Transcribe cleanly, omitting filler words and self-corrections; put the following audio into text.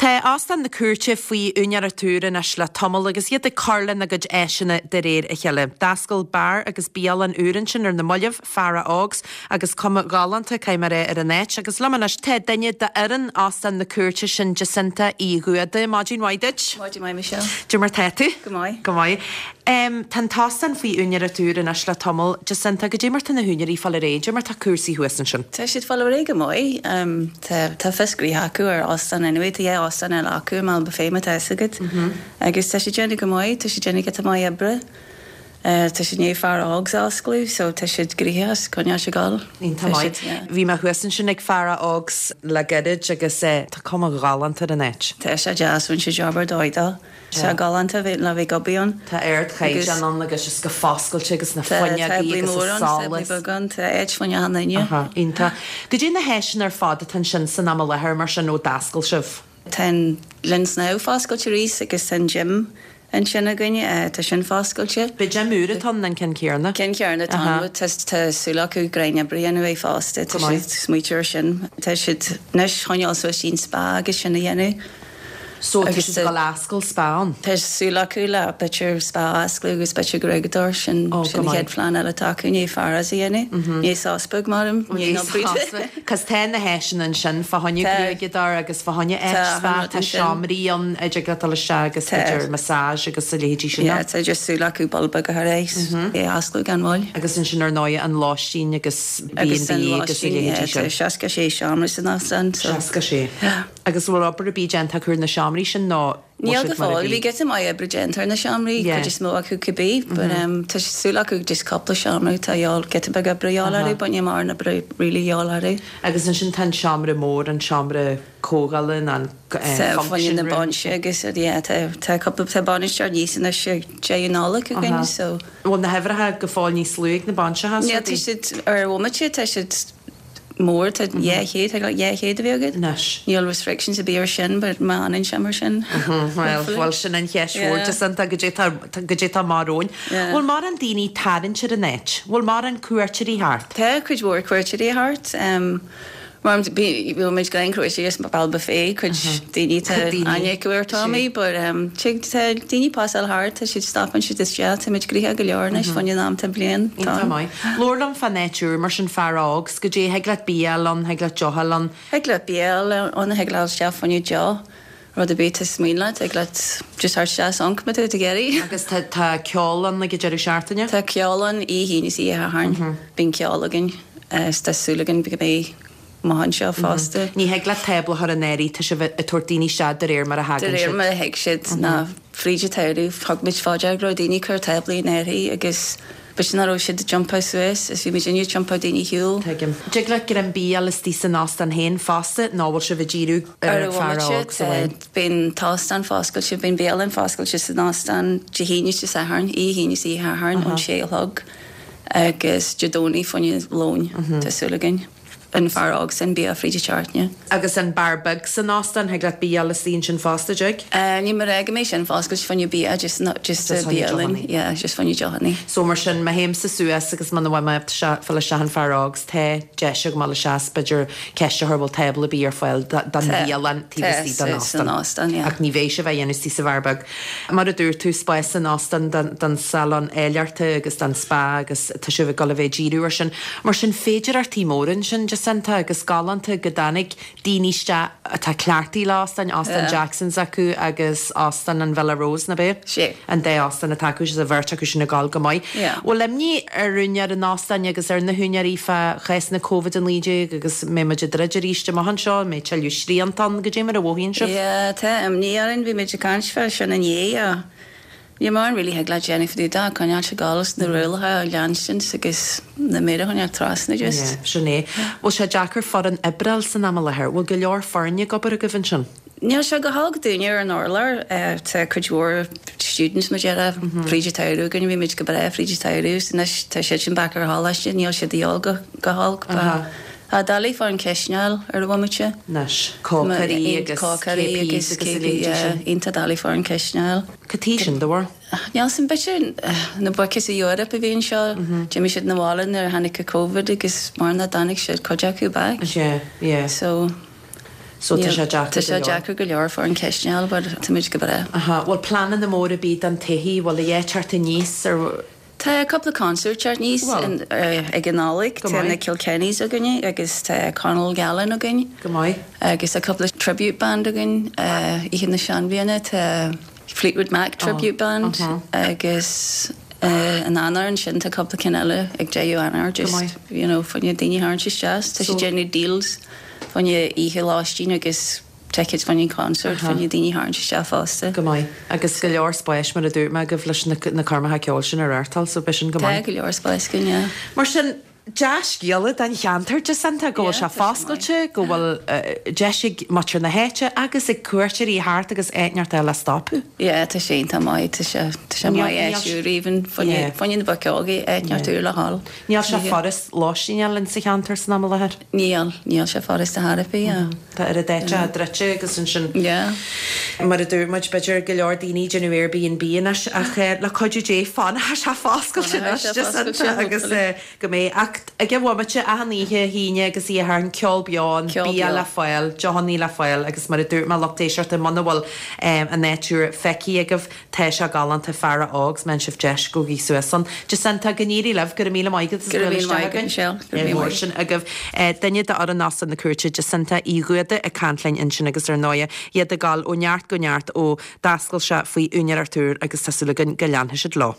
Tá Óstán na Cúirte faoi úinéireacht úr anois le tamall agus iad ag cur lena gcuid áiseanna de réir a chéile. D'oscail beár agus bialann úr ansin ar na mallaibh, Fara Ógs, agus cuma ghalánta, caithfidh mé a rá, ar an áit. Agus liom anois tá duine d'fhoireann Óstán na Cúirte, sin Jacinta Uí Ghuada. Maidin mhaith duit. Maidin mhaith, Michelle. Cad é mar tá tú? Go maith. Go maith. Tá an t-óstán faoi úinéireacht úr anois le tamall. Jacinta, goidé mar tá na húinéirí ag fáil ar aghaidh, goidé mar tá cúrsaí thuas ansin? Tá siad ag fáil ar aghaidh go maith. Tá tá fios gnoithe acu ar óstán anyway. Tá dhá óstán eile acu i mBealach Féich má tá fhios agat. Agus tá siad déanamh go maith, tá siad déanamh giota maith oibre. Tá siad i ndiaidh Fara Ógs a osclú so tá siad gnoitheach is coinneáil ag gabháil. Iontach maith. Bhí mé thuas ansin ag Fara Ógs le gairid agus tá cuma ghalánta ar an áit. Tá sé deas, rinne siad job ar dóigh dó. Tá sé galánta bheith le bheith ag obair ann. Tá ardchaighdeán ann agus just go foscailte agus na fuinneogaí agus an solas. Tá táblaí mór ann, táblaí beag ann, tá áit fá choinne achan duine. Aha, iontach. Goidé na háiseanna ar fad atá ansin san am i láthair mar sin ó d'oscail sibh? Tá an linn snámha foscailte arís agus tá an gym ansin againn, tá sin foscailte. B'é gym úr atá ann, an ceann céarna? Ceann céarna atá ann, tá súil acu greim oibre a dhéanamh air fosta, tá siad ag smaoitiú ar sin. Tá siad anois choinneáil suas an spa agus sin a dhéanamh. So tá siad ag dul a oscailt spa ann? Tá súil acu le b'fhéidir spa a osclú agus b'fhéidir gruaigeadóir, sin sin an chéad phlean eile atá acu, i ndiaidh Fara's a dhéanamh, i ndiaidh sos beag maram, i ndiaidh an obair. Cos tá na háiseanna ansin fá choinne gruaigeadóir agus fá choinne áit spa, tá seomraí ann a dtig leat dul isteach agus b'fhéidir massage agus a leithéidí sin. Yeah, tá just súil acu ball beag a chur air, é a osclú gan mhoill. Agus ansin ar ndóigh an lóistín agus B and B agus a leithéidí sin. Tá 66 seomra san óstán. 66. Agus an bhfuil obair ar bith déanta acu ar na seomraí sin nó bhfuil Níl go siad mar a fóill. bhí? Bhí giota maith oibre déanta ar na seomraí, Yeah. cuid is mó acu cibé, but um tá súil acu just cúpla seomra atá a dhíobháil, giota beag oibre a dhíobháil orthu, but níl mórán oibre really a dhíobháil orthu. Agus ansin tá an seomra mór, an seomra comhdhála nó an Tá function fá choinne na room. bainse agus yeah tá tá cúpla tá bainisteoir níos anois ag deireadh Nollag againn so. Bhfuil na huimhreacha go fóill níos lú ag na bainseacha Níl tá siad ar bhomaite tá siad mór, tá 200, tá 200 a bhí agat. Anois. Níl restrictions ar bith ar sin but má fhanann sé mar sin. Bhuel, bhuel sin an cheist mhór Jacinta, goidé tá, goidé tá amach romhainn. Bhfuil mórán daoine ag tarraingt ar an áit? Bhfuil mórán cuairteoirí thart? Tá cuid mhór cuairteoirí thart. Mar bhí muid gan cuairteoirí as Bealach Féich, cuid daoine tá aithne acu ar Tommy but tig tá daoine pasáil thart, tá siad stopann siad isteach, tá muid gnoitheach go leor anois fá choinne an am tá bliain. Iontach maith. Labhair liom fán áit úr mar sin Fara Ógs, goidé, thig leat bia a fháil ann, thig leat deoch a fháil ann. Thig leat bia a fháil ann, thig leat isteach fá choinne deoch, rud ar bith is mian leat, thig leat just theacht isteach is amharc má tá tú ag iarraidh. Agus tá tá ceol ann ag an deireadh seachtaine? Tá ceol ann oíche Aoine is oíche Shathairn, bíonn ceol againn is tá súil againn go mbeidh amach anseo fosta. Ní thig leat tábla a chur in áirithe, tá sibh ag tabhairt daoine isteach de réir mar a thagann siad. De réir mar a thig siad, ná fríd an tsamhradh thug muid fá dear go raibh daoine ag cur táblaí in áirithe agus b'fhéidir nach raibh siad ag iompar suas is bhí muid ag iompar daoine ar shiúl. Tuigim. Dtig leat greim bia a fháil istigh san óstán féin fosta nó bhfuil sibh ag díriú ar Ar Fara Ógs amháin? Bíonn an t-óstán foscailte, bíonn bialann foscailte san óstán Dé hAoine is Dé Sathairn, oíche Aoine is oíche Shathairn ón sé a chlog agus Dé Domhnaigh fá choinne lóin, tá súil againn. An Fara Ógs sin bia fríd an tseachtain. Agus an beár beag san óstán, thig leat bia a fháil istigh ansin fosta, dtig? Níl mé ag rá go mbeidh sin foscailte fá choinne bia, just just Just bialann, yeah, just fá choinne deochannaí. So mar sin, má théimse suas agus muna bhfuil mé ag fáil isteach in Fara Ógs, tá deis agam dul isteach is b'fhéidir ceist a chur bhfuil tábla ar bith ar fáil don bhialann taobh istigh den óstán. óstán, yeah. Ach ní bheidh sibh á dhéanamh istigh sa bheár beag. Mar a dúirt tú, spás san óstán don salon áilleachta agus don spa agus tá sibh ag dul a bheith ag díriú ar sin. Mar sin, féidearthachtaí móra ansin, Jacinta, agus galánta go dtáinig daoine isteach atá cleachtaithe le óstáin, Óstán Jackson's acu agus Óstán an Villa Rose, nach ea? Sea. An dá óstán atá acu, is an bheirt acu sin ag gabháil go maith. Bhfuil imní ar úinéir an óstáin agus ar na húinéirí fá chás na Covid-19 agus mbeidh muid ag druid arís amach anseo, an mbeidh tuilleadh srianta ann, goidé mar a mhothaíonn sibh? Yeah, tá imní orainn, bhí muid ag caint fá sin inné. Níl mórán really thig leat déanamh fá dtaobh de ach coinneáil ag gabháil is na rialacha a leanstint agus na méara a choinneáil trasna just. Yeah, sin é. Bhfuil sé deacair foireann oibre a fháil san am i láthair? Bhfuil go leor foirne ag obair agaibh ansin? Níl sé go holc dúinne ar an urlár. Tá cuid mhór students mar a déarfá fríd an tsamhradh againn, bhí muid go breá fríd an tsamhradh is anois tá siad sin back ar choláiste, níl siad a dhíobháil go go holc but tá doiligh foireann cistine a fháil ar an bhomaite. Anois, cócairí agus KPs agus a leithéidí sin. Iontach doiligh foireann cistine a fháil. Cad chuige sin, do bharúil? Níl 's a'm, b'fhéidir na boic as Eoraip a bhí anseo, d'imigh siad 'na bhaile nuair a tháinig an Covid agus mar nach dtáinig siad cuid acu back. Yeah, yeah. So. So tá sé deacair Tá sé deacair go leor foireann cistine a fháil but táimid go breá. Aha, bhfuil pleananna móra ar bith don todhchaí, bhfuil a dhath teacht aníos ar. Tá cúpla concert teacht aníos ag an Nollaig, tá na Kilkennys againne agus tá Conal Gallen againn. Go maith. Agus tá cúpla tribute band againn Oíche na Seanbhliana, tá Fleetwood Mac tribute band agus in Eanáir ansin tá cúpla cinn eile ag deireadh Eanáir just you know fá choinne daoine a tharraingt isteach. Tá siad déanamh deals fá choinne oíche lóistín agus tickets fá choinne concert fá choinne daoine a tharraingt isteach fosta. Go maith. Agus go leor spáis mar a dúirt mé agaibh leis na coirmeacha ceoil sin a reáchtáil so beidh sin go maith. Tá go leor spáis againn, yeah. Mar sin, dea-scéala don cheantar, Jacinta, go bhfuil sé foscailte, go bhfuil deis ag muintir na háite agus ag cuairteoirí theacht agus áit inteacht le stopadh. Yeah, tá sé iontach maith, tá sé, tá sé maith áit úr even, fá choinne na boic óga, áit inteacht úr le ghabháil. Níl sé furast lóistín a fháil in sa cheantar san am i láthair? Níl, níl sé furast ar chor ar bith, yeah. Tá oiread áiteacha druidte agus ansin. Yeah. Mar a dúirt muid, b'fhéidir go leor daoine ag déanamh Airbnb anois ach le cuidiú Dé fanfaidh sé foscailte anois Jacinta agus go mbeidh. Ach ag an bhomaite, achan oíche hAoine agus Oíche Shathairn, ceol beo ann, bia le fáil, deochannaí le fáil agus mar a dúirt mé, lucht éisteachta, muna bhfuil an áit úr feicthe agaibh, Tá sé galánta, faire óg, má fhaigheann sibh deis, gabhaigí suas ann. Jacinta, go n-éirí libh, go raibh míle maith agat as Go raibh míle maith agat, Michelle. Go raibh míle maith. Sin agaibh. Duine d'fhoireann Óstán na Cúirte, Jacinta Uí Dhúda ag caint linn ansin agus ar ndóighe, iad ag dul ó neart go neart ó d'oscail sé faoi úinéireacht úr agus tá súil againn go leanfaidh siad leo.